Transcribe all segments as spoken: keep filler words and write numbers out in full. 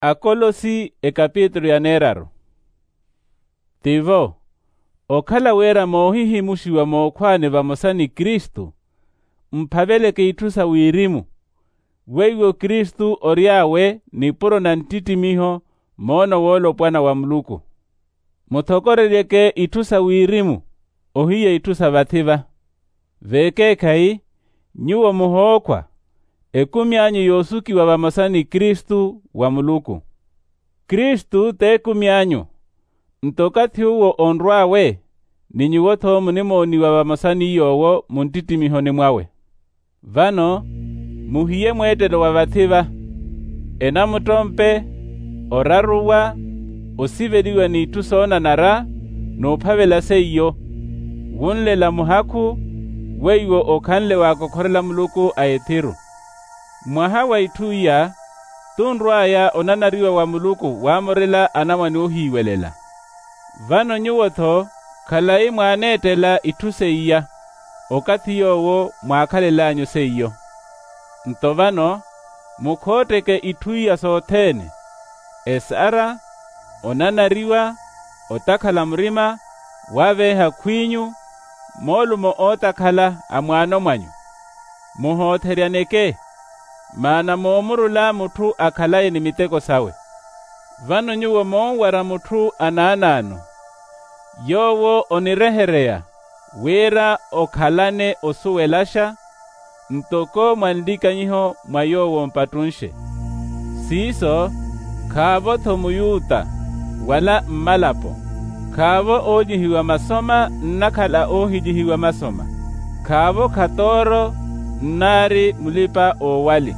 Akolosi ekapitulu ya neeraru. Tivo, okhala wira moohihimuxiwa mookhwaani vamosa ni kristu, mphaveleke itthu sa wirimu, weiwo kristu ory'awe nipuro na nttittimiho, moono woolopwana wa muluku. Muthokoreryeke itthu sa wirimu, ohiya itthu sa vathi-va. Veekeekhayi, nyuwo muhookhwa, ekumi anyu yoosukiwa vamosa ni kristu wa muluku. Kristu t'ekumi anyu, nto okathi uwo onrw'awe, ni nyuwo-tho munimooniwa vamosa ni yoowo muntittimihoni mwawe. Vano, muhiye mweettelo wa vathi-va, enamuttompe, oraruwa, osiveliwa n'itthu soonanara, n'uphavela seiyo, wunlela muhakhu, weiwo okhanle waakokhorela muluku a ethiru. Mwaha wa itthu iya, tunrw'aya onanariwa wa muluku waamorela anamwane oohiiwelela. Vano nyuwo-tho, khalayi mwaaneettela itthu seiya, okathi yoowo mwaakhalel'anyu seiyo. Nto vano, mukhootteke itthu iya sothene, esara, onanariwa, otakhala murima, waveeha khw'inyu, moolumo ootakhala a mwaano mwanyu. Muhootheryaneke, maana moomurula mutthu akhalaye ni miteko sawe. Vano nyuwo moonwara mutthu anaanaano, yoowo onirehereya wira okhalane osuwelaxa, ntoko mwa nlikanyiho mwa yoowo mpattunxe. Siiso, khaavo-tho muyuta, wala mmalapo, khaavo oolyihiwa masoma nnakhala oohilyihiwa masoma, khaavo khatooro nnaari mulipa-oowali,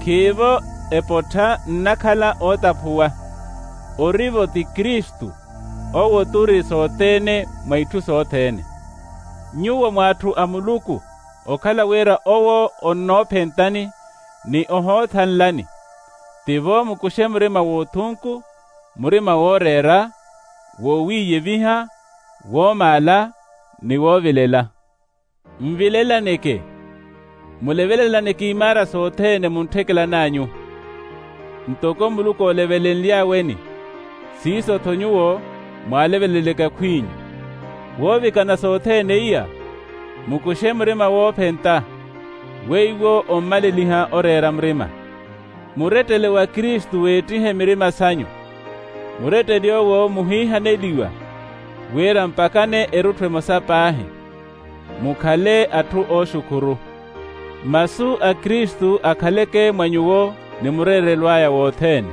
khiivo epottha nnakhala ootaphuwa. Ori-vo ti kristu, owo t'uri sothene mwa itthu sothene. Nyuwo mw'atthu a muluku, okhala wira owo onnoophentani, ni ohoothanlani, tivo mukuxe murima w'othunku, murima wooreera, wowiiyeviha, woomaala, ni woovilela. Nvilelaneke, mulevelelaneke imaara sothene muntthekelan'anyu, ntoko muluku oolevelenly'aweni. Siiso-tho nyuwo mwaaleveleleke akhw'inyu. Woovikana sothene iya, mukuxe murima woophenta, weiwo ommaleliha oreera murima. Murettele wa kristu weettihe mirima sanyu. Murettele owo muhiihaneliwa, wira mpakane erutthu emosa paahi, mukhale atthu ooxukhuru. Masu a kristu akhaleke mwa nyuwo ni mureerelw'aya wothene.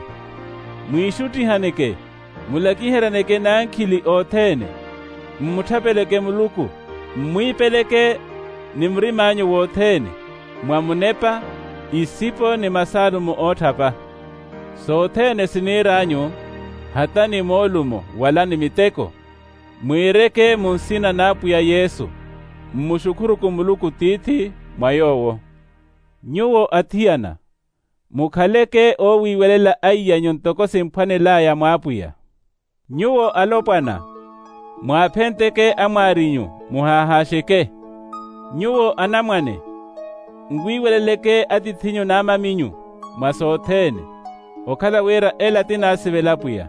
Mwiixuttihaneke, mulakiheryaneke n'ankhili othene, mmutthapeleke muluku, mmwiipeleke ni murim'anyu wothene, mwa munepa, isipo ni masaalumo ootthapa. Sothene siniir'anyu, hata ni moolumo wala ni miteko, mwiireke mu nsina n'apwiya yesu, mmuxukhuruku muluku tiithi mwa yoowo. Nyuwo athiyana, mukhaleke oowiiwelela aiy'anyu ntoko simphwanel'aya mw'apwiya. Nyuwo alopwana, mwaaphenteke amwaarinyu, muhaahaaxeke. Nyuwo anamwane, nwiiweleleke atith'inyu n'amaminyu mwa sothene, okhala wira ela ti naasivela apwiya.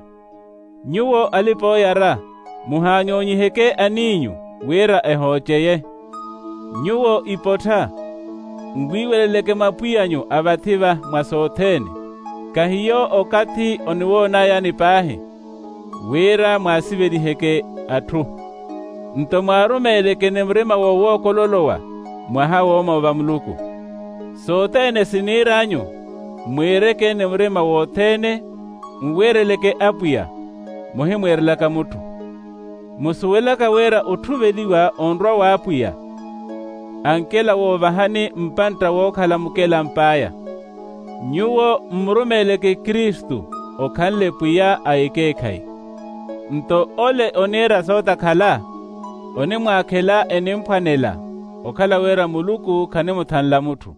Nyuwo alipa-ooyara, muhaanyoonyiheke aniinyu wira ehooceye. Nyuwo ipottha, nwiiweleleke mwa apwiy'anyu a vathi-va mwa sothene, kahiyo okathi oniwoon'ayani paahi, wira mwaasiveliheke atthu. Nto mwaarumeeleke ni murima wowookololowa mwaha woomoova muluku. Sothene siniir'anyu, mwiireke ni murima wothene, nwiireleke apwiya, muhimwiirelaka mutthu. Musuwelaka wira otthuveliwa onrwa w'apwiya, ankela woovahani mpantta wookhala mukelamp'aya. Nyuwo mmurumeeleke kristu, okhanle pwiya a ekeekhayi. Nto ole oniira sootakhala, onimwaakhela enimphwanela, okhala wira muluku khanimuthanla mutthu.